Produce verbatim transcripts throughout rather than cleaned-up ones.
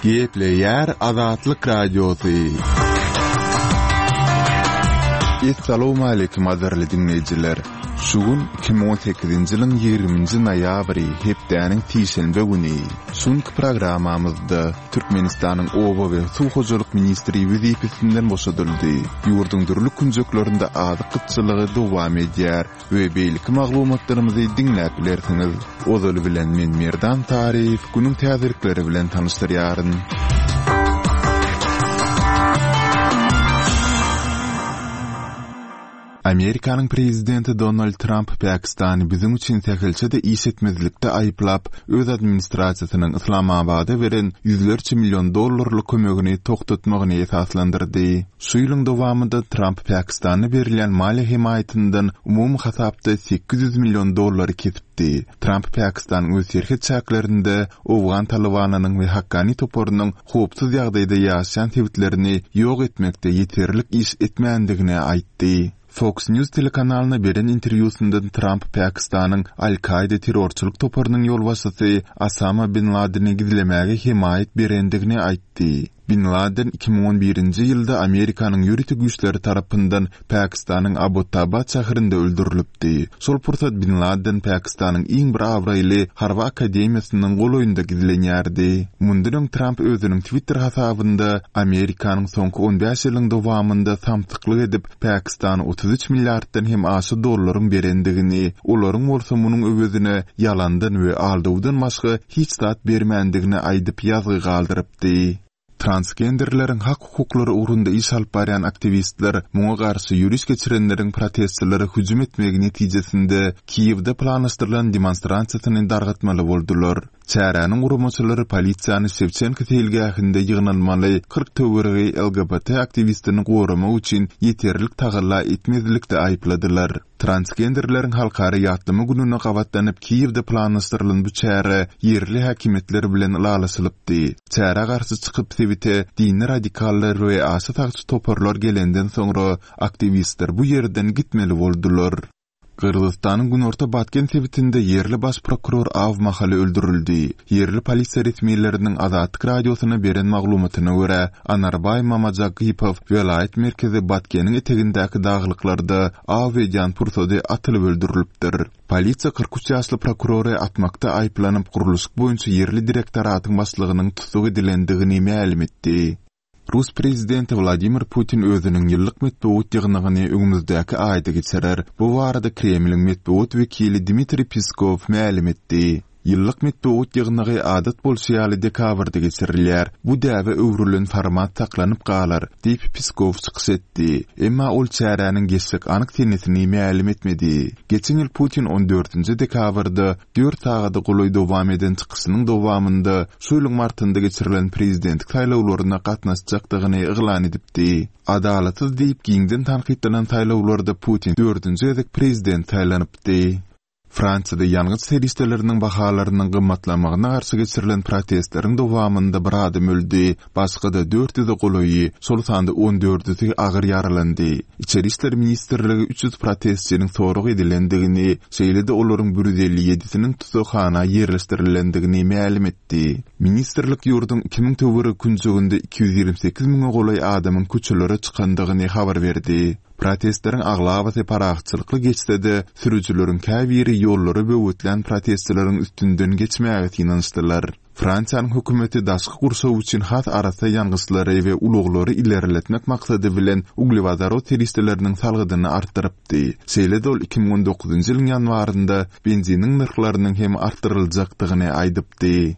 Gepleýär Azatlyk Radiosy. Essalawmaleýkim gadyrly diňleýjiler! Şu gün iki müň on sekizinji ýylyň ýigriminji noýabry, hepdäniň sişenbe güni. Şu günki programmamyzda Türkmenistanyň oba we suw hojalyk ministri wezipesinden boşadyldy. Ýurduň dürli künjeklerinde azyk gytçylygy dowam edýär we beýleki maglumatlarymyzy diňläp bilersiňiz. Ozaly bilen men Merdan Taryýew günüň täzelikleri bilen tanyşdyrýaryn. Amerikanyň prezidenti Donald Tramp Pakistany biziň üçin sähelçe-de iş etmezlikde aýyplap, öz administrasiýasynyň Yslamabada beren ýüzlerçe million dollarlyk kömegini togtatmagyny esaslandyrdy. Şu ýylyň dowamynda Tramp Pakistana berilýän maliýe hemaýatyndan umumy hasapda sekiz ýüz million dollary kesipdi. Tramp Pakistanyň öz serhet çäklerinde owgan Talybanynyň we Hakkani toparynyň howpsuz ýagdaýda ýaşaýan sebitlerini ýok etmekde ýeterlik iş etmändigini aýtdy. Fox News telekanalyna beren interwýusynda Tramp Pakistanyň Al-Kaýda terrorçylyk toparynyň ýolbaşçysy Osama bin Ladeni gizlemäge hemaýat berendigini aýtdy. Bin Laden iki müň on birinji ýylda Amerikanyň ýörite güýçleri tarapyndan Pakistanyň Abbottabad şäherinde öldürilipdi. Şol pursat Bin Laden Pakistanyň iň bir abraýly harby akademiýasynyň golaýynda gizlenýärdi. Mundan öň Tramp özüniň Twitter hasabynda Amerikanyň soňky on bäş ýylyň dowamynda samsyklyk edip Pakistana otuz üç milliarddan hem aşa dollaryň berendigini, olaryň bolsa munuň öwezine ýalandan we aldawdan başga hiç zat bermändigini aýdyp ýazgy galdyrypdy. Transgenderleriň hak-hukuklary ugrunda iş alyp barýan aktiwistler muňa garşy ýöriş geçirenleriň protestçilere hüjüm etmegi netijesinde Kiýewde planlaşdyrylan demonstrasiýasyny dargatmaly boldular. Çäräniň guramaçylary polisiýany Şewçenko seýilgähinde ýygnalmaly kyrk töweregi L G B T aktiwistini goramak üçin ýeterlik tagalla etmezlikde aýypladylar. Transgenderleriň halkara ýatlama gününe gabatlanyp Kiýewde planlaşdyrylan bu çäre ýerli häkimiýetler bilen ylalaşylypdy. Çärä garşy çykyp sebite dini radikallar we aşa sagçy toparlar gelenden soňra aktiwistler bu ýerden gitmeli boldular. Gyrgyzystanyň Günorta Batken sebitinde ýerli baş prokuror Aw mahaly öldürildi. Ýerli polisiýa resmileriniň Azatlyk radiosyna beren maglumatyna görä, Anarbaý Mamajagypow welaýat merkezi Batkeniň etegindäki daglyklarda aw edýän pursady atylyp öldürilipdir. Polisiýa kyrk üç ýaşly prokurory atmakda aýyplanyp gurluşyk boýunça ýerli direktoratyň başlygynyň tussag edilendigini mälim etdi. Rus prezidenti Wladimir Putin özüniň ýyllyk metbugat ýygnagyny öňümizdäki aýda geçirer. Bu barada Kremliň metbugat wekili Dmitriý Peskow mälim etdi. Ýyllyk metbugat ýygnagy adat bolşy ýaly dekabrda geçirilýär. Bu däbe öwrülen format saklanyp galar, diýip Peskow çykyş etdi. Emma ol çäräniň geçjek anyk senesini mälim etmedi. Geçen ýyl Putin on dördünji dekabrda dört sagada golaý dowam eden çykyşynyň dowamynda şu ýylyň martynda geçirilen prezidentlik saýlawlaryna gatnaşjakdygyny yglan edipdi. Adalatsyz diýip giňden tankytlanan saýlawlarda Putin dördünji gezek prezident saýlanypdy. Fransiýada ýangyç serişdeleriniň bahalarynyň gymmatlamagyna garşy geçirilen protestleriň dowamynda bir adam öldi, başga-da dört ýüze golaýy, şol sanda on dördüsi agyr ýaralandy. Içeri işler ministrligi üç ýüz protestçiniň sorag edilendigini, şeýle-de olaryň bir ýüz elli ýedisiniň tussaghana ýerleşdirilendigini mälim etdi. Ministrlik ýurduň iki müň töweregi künjeginde iki ýüz ýigrimi sekiz müňe golaý adamyň köçelere çykandygyny habar berdi. Protestleriň aglabasy parahatçylykly geçse-de, sürüjileriň käbiri ýollara böwetlän protestçileriň üstünden geçmäge synanyşdylar. Fransiýanyň hökümeti daşky gurşaw üçin has arassa ýangyçlary we ulaglary ilerletmek maksady bilen uglewodorod serişdeleriniň salgydyny artdyrypdy. Şeýle-de ol iki müň on dokuzynjy ýylyň ýanwarynda benziniň nyrhlarynyň hem artdyryljakdygyny aýdypdy.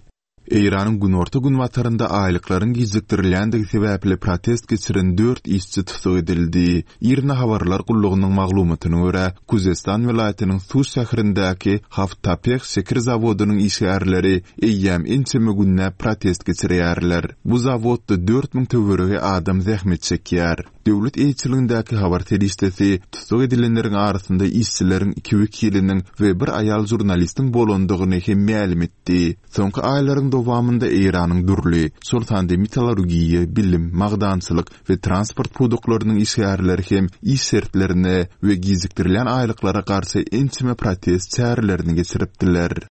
Eýranyň günorta-günbatarynda aýlyklaryň gijikdirilýändigi sebäpli protest geçiren dört işçi tussag edildi. IRNA habarlar gullugynyň maglumatyna görä, Kuzestan welaýatynyň Suş şäherindäki Haft-Tapeh şeker zawodynyň işgärleri eýýäm ençeme günläp protest geçirýärler. Bu zawodda dört müň töweregi adam zähmet çekýär. Döwlet eýeçiligindäki habar serişdesi tussag edilenleriň arasynda işçileriň iki wekiliniň we bir aýal žurnalistiň bolandygyny hem mälim etdi. Soňky aýlaryň dowamynda Eýranyň dürli, şol sanda metallurgiýa, bilim, magdançylyk we transport pudaklarynyň işgärleri hem iş şertlerine we gijikdirilýän aýlyklara garşy ençeme protest çärelerini geçiripdiler.